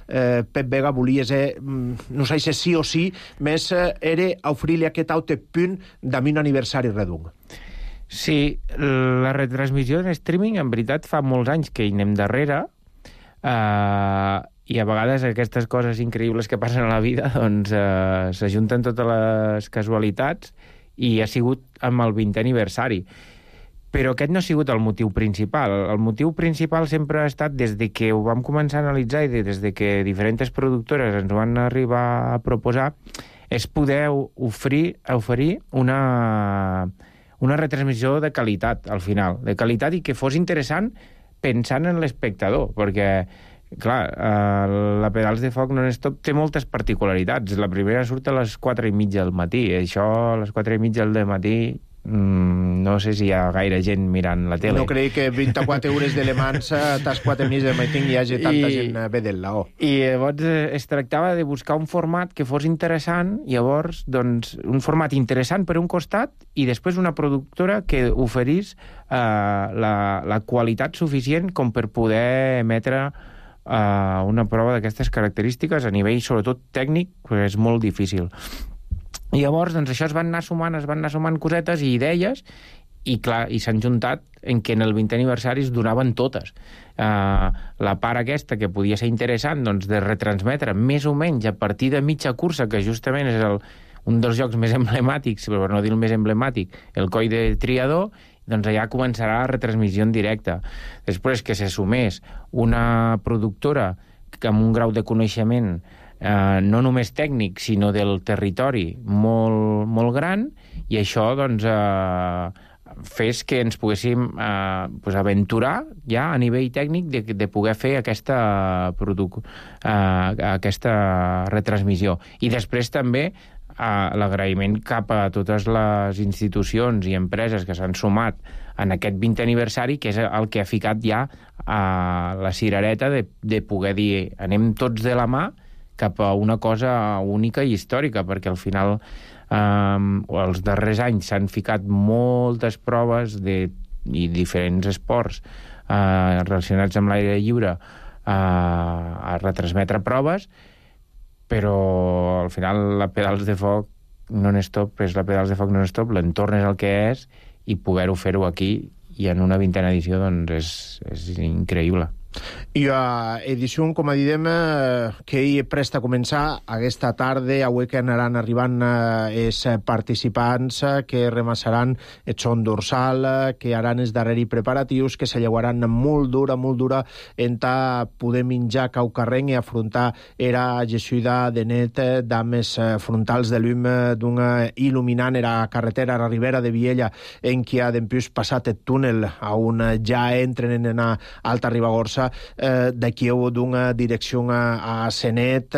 Pep Vega volia ser, no sé si sí o sí, més era oferir-li aquest altre punt d'un aniversari redung. Sí, la retransmissió en streaming, en veritat, fa molts anys que hi anem darrere, i a vegades aquestes coses increïbles que passen a la vida doncs s'ajunten totes les casualitats, i ha sigut amb el 20è aniversari. Però aquest no ha sigut el motiu principal. El motiu principal sempre ha estat, des de que ho vam començar a analitzar i des de que diferents productores ens ho van arribar a proposar, és poder oferir una retransmissió de qualitat, al final, de qualitat i que fos interessant pensant en l'espectador, perquè, clar, la Pedals de Foc non-stop té moltes particularitats. La primera surt a les 4:30 del matí, això a les 4:30 del matí no sé si hi ha gaire gent mirant la tele. No crec que 24 hores de Le Mans a les 4:30 del matí hi hagi tanta gent vedent-la. I llavors es tractava de buscar un format que fos interessant, llavors, doncs, un format interessant per un costat i després una productora que oferís la qualitat suficient com per poder emetre una prova d'aquestes característiques a nivell, sobretot tècnic, que és molt difícil. I llavors, doncs, això es van anar sumant cosetes i idees, i clar, i s'han juntat en què en el 20è aniversari es donaven totes. La part aquesta que podia ser interessant, doncs, de retransmetre més o menys a partir de mitja cursa, que justament és un dels jocs més emblemàtics, per no dir el més emblemàtic, el Coll de Triador, doncs allà començarà la retransmissió en directe. Després que se sumés una productora amb un grau de coneixement no només tècnic, sinó del territori molt, molt gran, i això, doncs, fes que ens poguéssim aventurar ja a nivell tècnic de poder fer aquesta retransmissió. I després també l'agraïment cap a totes les institucions i empreses que s'han sumat en aquest 20è aniversari, que és el que ha ficat ja la cirereta de poder dir anem tots de la mà cap a una cosa única i històrica, perquè al final els darrers anys s'han ficat moltes proves i diferents esports relacionats amb l'aire lliure a retransmetre proves, però al final la Pedals de Foc non-stop és la Pedals de Foc non-stop, l'entorn és el que és, i poder-ho fer-ho aquí i en una 20a edició, doncs és increïble. I edició, com a didem, que hi presta a començar aquesta tarda. Avui que anaran arribant els participants que remassaran el son dorsal, que haran els darrers preparatius, que se llevaran molt dura en poder menjar caucarrenc i afrontar era gessuida de net dames frontals de llum d'una il·luminant era carretera a la Ribera de Viella, en qui ha d'empius passat el túnel on ja entren en Alta Ribagorça, de Kiev d'una direcció a Senet,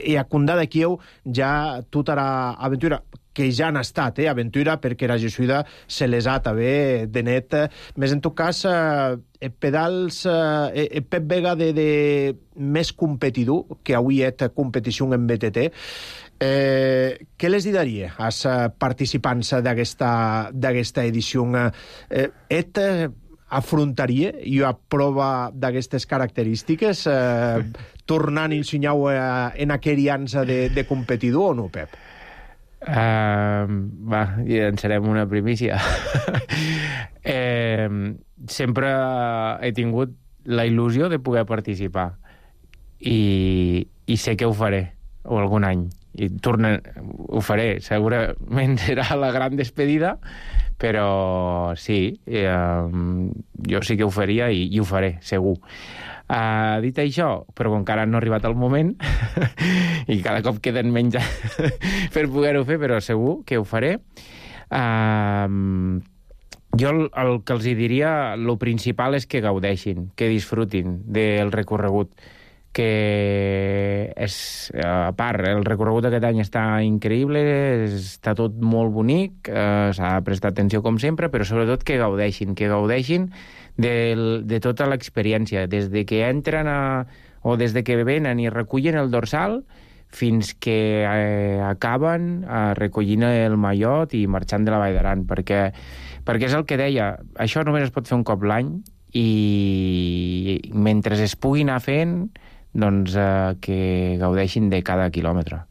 i a Condà de Kiev ja tota l'aventura que ja han estat, aventura, perquè la gessuida se les ha també de net. Més en tot cas, pedals, Pep Vega de més competidor, que avui és competició en BTT, què les diria als participants d'aquesta edició? Afrontaria una prova d'aquestes característiques tornant a ensenyar en aquella ansa de competidor o no, Pep? Llançarem una primícia. Sempre he tingut la il·lusió de poder participar i sé que ho faré algun any i ho faré, segurament serà la gran despedida, però sí, jo sí que ho faria i ho faré, segur. Dit això, però encara no ha arribat el moment i cada cop queden menys per poder-ho fer, però segur que ho faré. Jo el que els diria, el principal és que gaudeixin, que disfrutin del recorregut, que és, a part, el recorregut d'aquest any està increïble, està tot molt bonic, s'ha de prestar atenció com sempre, però sobretot que gaudeixin de tota l'experiència, des de que entren o des de que venen i recullen el dorsal fins que acaben recollint el mallot i marxant de la Vall d'Aran, perquè és el que deia, això només es pot fer un cop l'any i mentre es pugui anar fent, doncs que gaudeixin de cada quilòmetre.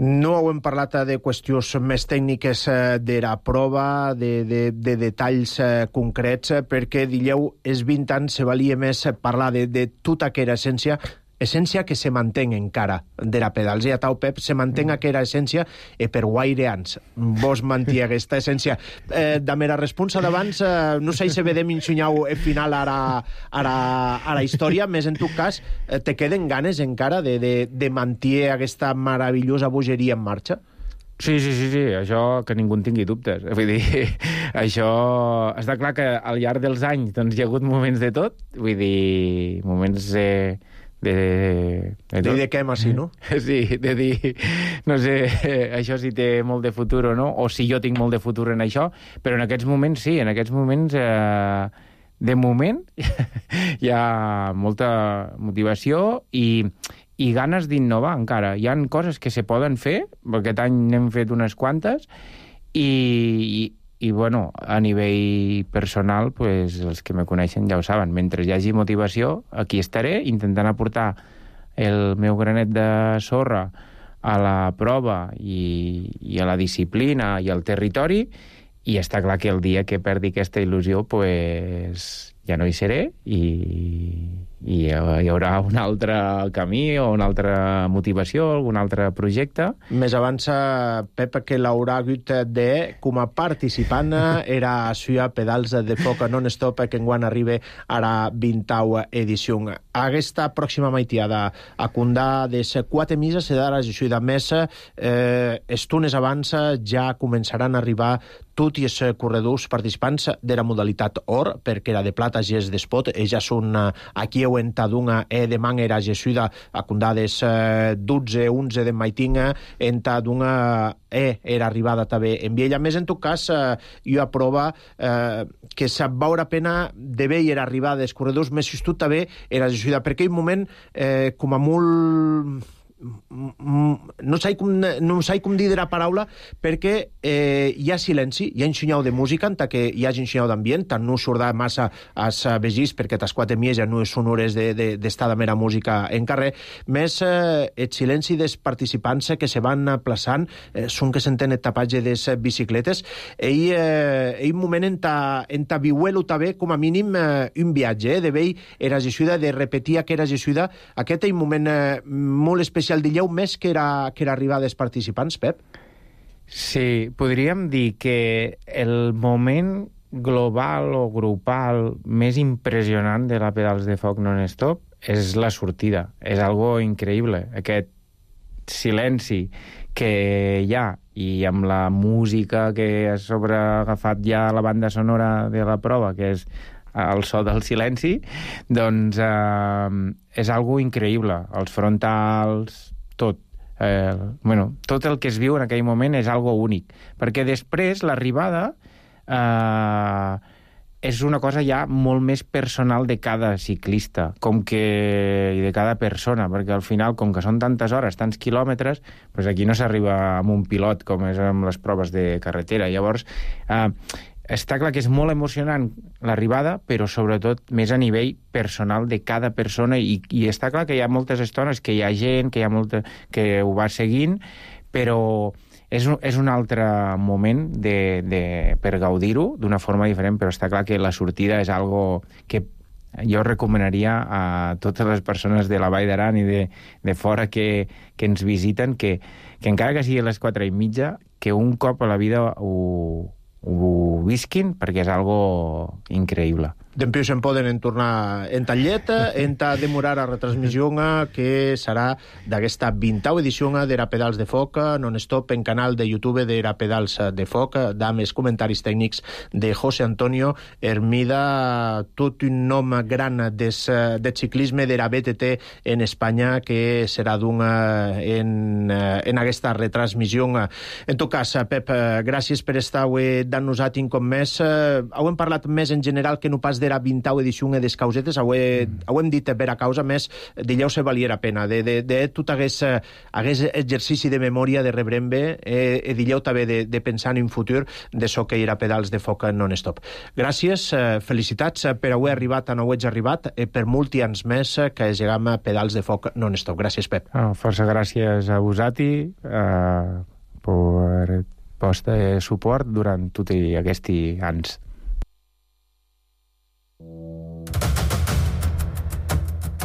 No hem parlat de qüestions més tècniques de la prova, de detalls concrets, perquè, dieu, els 20 anys se valia més parlar de tota aquella essència que se manté encara de la Pedals. I a tau, Pep, se manté aquella essència per guaire anys. Vos manté aquesta essència. De mera responsa d'abans, no sé si vedem ensenyau el final a la història, més en tot cas, te queden ganes encara de mantenir aquesta meravellosa bogeria en marxa? Sí, això que ningú en tingui dubtes. Vull dir, això... Està clar que al llarg dels anys doncs, hi ha hagut moments de tot, vull dir, moments de què, sí, no? Sí, de dir, no sé, això sí té molt de futur o no, o si jo tinc molt de futur en això, però en aquests moments sí, en aquests moments... De moment hi ha molta motivació i ganes d'innovar encara. Hi han coses que se poden fer, aquest any n'hem fet unes quantes, i bueno, a nivell personal, pues, els que me coneixen ja ho saben. Mentre hi hagi motivació, aquí estaré intentant aportar el meu granet de sorra a la prova i a la disciplina i al territori, i està clar que el dia que perdi aquesta il·lusió pues, ja no hi seré i hi haurà un altre camí o una altra motivació, algun altre projecte. Més abans, Pep, que l'haurà hagut de, com a participant, era a Suïa Pedals de Foc non-stop, que enguany arriba a la 20a edició. Aquesta pròxima maitiada, a Condà, des 4 mises, se darà a més, estones abans ja començaran a arribar tots els corredors participants de la modalitat or, perquè la de plata ja és d'espot, ja són aquí ho entadunga demà era jesuïda a Condades 12-11 de maitinga, entadunga era arribada també en Viella. Més, en tot cas, jo aprova que se veure pena de veure arribada dels corredors, més just també era jesuïda, perquè en un moment com a molt... no sé com dir la paraula, perquè hi ha silenci, hi ha ensenyau de música, en que hi ha ensenyau d'ambient, tant no surt massa als vegís, perquè tas 4 mies ja no són hores d'estar de mera música en carrer, més el silenci dels participants que se van plaçant, són que senten el tapatge de les bicicletes, i un moment en viuelo també, com a mínim, un viatge, de veure era jesuïda, de repetir que era jesuïda, aquest és un moment molt especial. El dieu més que era arribar dels participants, Pep? Sí, podríem dir que el moment global o grupal més impressionant de la Pedals de Foc non-stop és la sortida. És algo increïble. Aquest silenci que hi ha i amb la música que ha sobreagafat ja la banda sonora de la prova, que és el so del silenci, doncs és algo increïble. Els frontals, tot. Tot el que es viu en aquell moment és algo únic. Perquè després l'arribada és una cosa ja molt més personal de cada ciclista i de cada persona, perquè al final, com que són tantes hores, tants quilòmetres, doncs aquí no s'arriba amb un pilot com és amb les proves de carretera. Llavors, està clar que és molt emocionant l'arribada, però sobretot més a nivell personal de cada persona, i està clar que hi ha moltes estones que hi ha gent que ho va seguint, però és un altre moment per gaudir-ho d'una forma diferent, però està clar que la sortida és algo que jo recomanaria a totes les persones de la Vall d'Aran i de fora que ens visiten, que encara que sigui a les 4:30, que un cop a la vida ho visquin, perquè és algo increïble. Dempeus en poden tornar en tallet, en demorar a retransmissió que serà d'aquesta 20a edició de la Pedals de Foc non-stop en canal de YouTube de la Pedals de Foc, amb comentaris tècnics de José Antonio Hermida, tot un nom gran de ciclisme de la BTT en Espanya, que serà en aquesta retransmissió. En tot cas, Pep, gràcies per estar avui dant-nos a com més. Hem parlat més en general que no pas de la 20a edició de les causetes, ho hem dit per a causa, més dileu se valia la pena, de tot hagués exercici de memòria de rebrembe, dileu també de pensar en un futur de so que era Pedals de Foc non-stop. Gràcies, felicitats per haver arribat on heu arribat, per molts anys més que llegam a Pedals de Foc non-stop. Gràcies, Pep. Força gràcies a vosaltres per vostre suport durant tots aquests anys.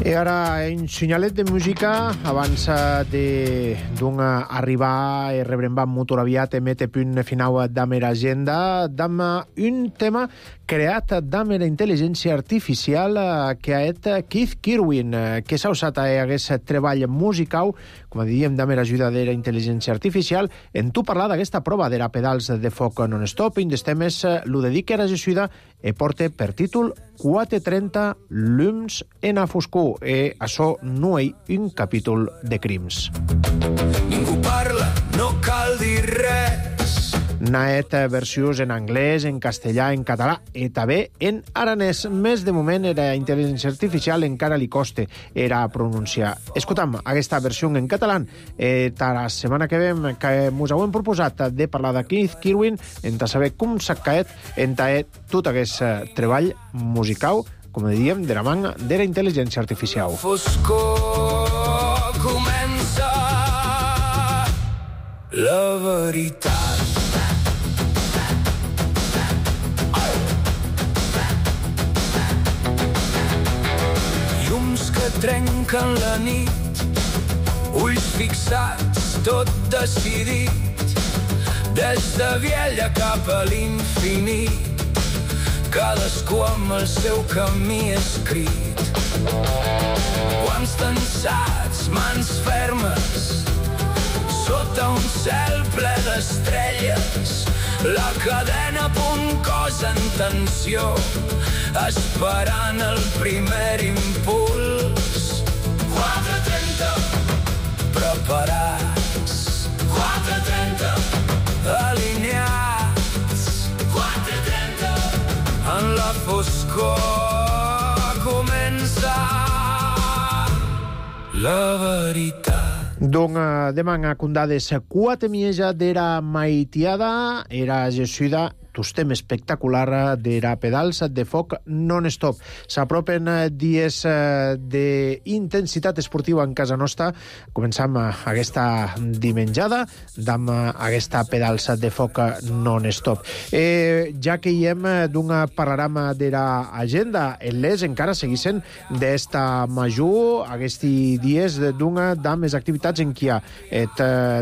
I ara, un senyalet de música abans d'un arribar i rebrembar molt aviat i mete punt final d'Amer Agenda, d'am un tema creat d'am la intel·ligència artificial que ha et Keith Kirwin, que s'ha usat a aquest treball musical, com diem, d'am l'ajuda de la intel·ligència artificial, en tu parlar d'aquesta prova d'era pedals de foc non-stop, i des temes lo dedica a la Jesuïda i porta per títol 430 llums en a foscor, i això no és un capítol de crims. Ningú parla, no cal dir res. N'het versions en anglès, en castellà, en català i també en aranès. Més de moment, la intel·ligència artificial encara li costa era pronunciar. Escoltam aquesta versió en català. La setmana que ve que ens hem proposat de parlar de Keith Kirwin, en saber com s'ha caet en tot aquest treball musical, com diem, de la manga de la intel·ligència artificial. Foscor comença la veritat. Llums que trenquen la nit, ulls fixats, tot decidit, des de Viella cap a l'infinit, cadascú amb el seu camí escrit. Quants tensats, mans fermes, sota un cel ple d'estrelles, la cadena a punt, cos en tensió, esperant el primer impuls. 4:30, preparats. 4:30, alineats. 4:30, en la foscor comença la veritat. Donc, demà condades 4 mieja d'era maitiada, era Jesuïda, tostem espectacular d'era pedals de foc non-stop. S'apropen dies d'intensitat esportiva en casa nostra. Començam aquesta dimenjada amb aquesta pedals de foc non-stop. Ja que hi hem d'un panorama d'era agenda, les encara seguissin d'esta major aquests dies d'una d'amés activitats en què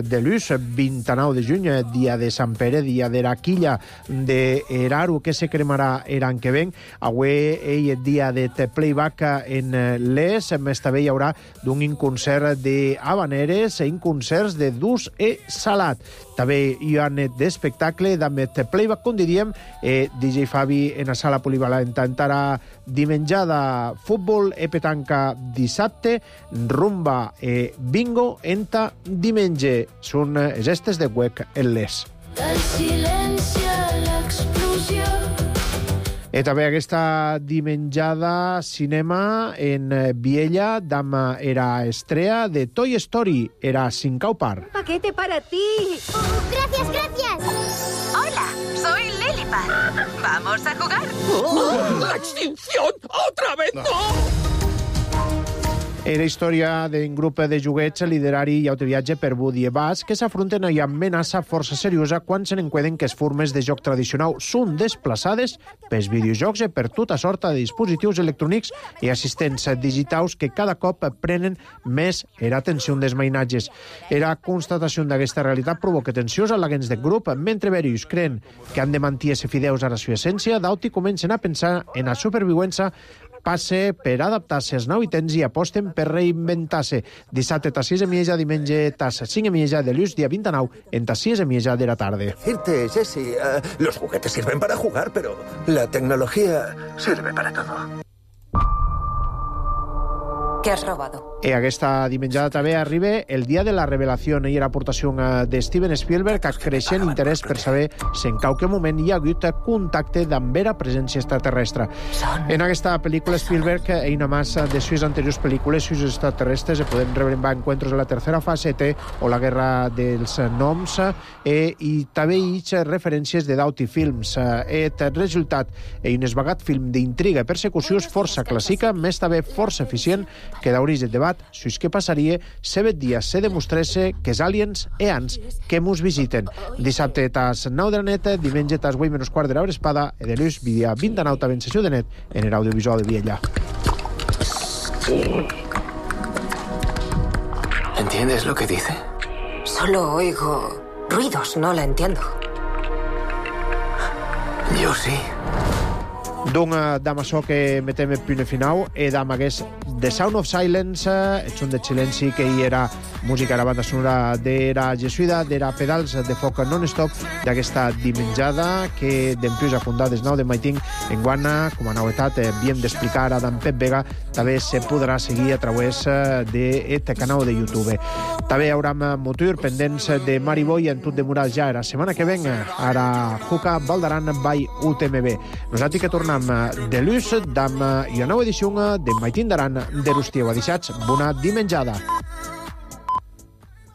de l'ús 29 de juny, dia de Sant Pere, dia d'era quilla de Eraru, que se cremarà l'any que ven. Avui és dia de playback en les. Més també hi haurà d'un concert d'habaneres i concerts de durs i salat. També hi ha d'espectacle d'ambet playback, com diríem, DJ Fabi en la sala polivalent entrarà dimenjada, futbol i petanca dissabte, rumba i bingo enta diumenge. Són gestes de huec en les. Del silenci a l'explosió. I també aquesta dimenjada cinema en Viella, dama era estrella de Toy Story, era Sincau Park. Paquete para ti. Oh, gracias, gracias. Hola, soy Lilipad. ¿Vamos a jugar? ¡La extinción! ¡Otra vez no! Era història d'un grup de joguets literari i autoviatge per Woody i Buzz que s'afronten a una amenaça força seriosa quan se n'encueden que les formes de joc tradicional són desplaçades pels videojocs i per tota sorta de dispositius electrònics i assistents digitals que cada cop prenen més l'atenció dels mainatges. Era constatació d'aquesta realitat provoca tensions a l'agents del grup, mentre varios creen que han de mantenir-se fideus a la seva essència, d'auti comencen a pensar en la supervivència passe per adaptar-se als nouitens i aposten per reinventar-se. Dissabte a 6:30, diumenge a 5:30 de l'ús, dia 29, en 6:30 de la tarda. Decirte, Jesse, los juguetes sirven para jugar, pero la tecnología sirve para todo. ¿Qué has robado? I aquesta dimenjada també arriba el dia de la revelació i l'aportació de Steven Spielberg, que creixent interès per saber si en qualque moment hi ha hagut contacte amb vera presència extraterrestre. En aquesta pel·lícula Spielberg, una massa de sus anteriors pel·lícules sus extraterrestres, podem rebrembar encuentros de la tercera fase o la guerra dels noms, i també hi ha referències de Doughty Films. El resultat és un esvagat film d'intriga i persecució força clàssica, més també força eficient, que d'origen debat si és què passaria si aquest dia se demostresse que els aliens e ans que mos visiten. Dissabte tas 9 de la nit, diumenge tas 8:15 de l'hora espada, i de l'ús, dia 29 també en sessió de net en l'audiovisual de Viella. ¿Entiendes lo que dice? Solo oigo ruidos, no la entiendo. Jo sí. Donc, damb açò que metem el punt final, damb hagués The Sound of Silence, el son de silenci, que hi era música, la banda sonora d'era Jesuïda, d'era Pedals de foc non-stop, d'aquesta dimenjada que dempués a fundar des nou de Maiting en guana, com a novetat, bien d'explicar a d'en Pep Vega, també se podrà seguir a través d'aquest canal de YouTube. També hi haurà motor pendents de Mariboy en tot demorar ja la setmana que ven, ara Juca Valdaran by UTMB. Nosaltres que tornem de l'ús d'una nova edició de Maiting d'Aran de Rustiu. Adixats, bona dimenjada.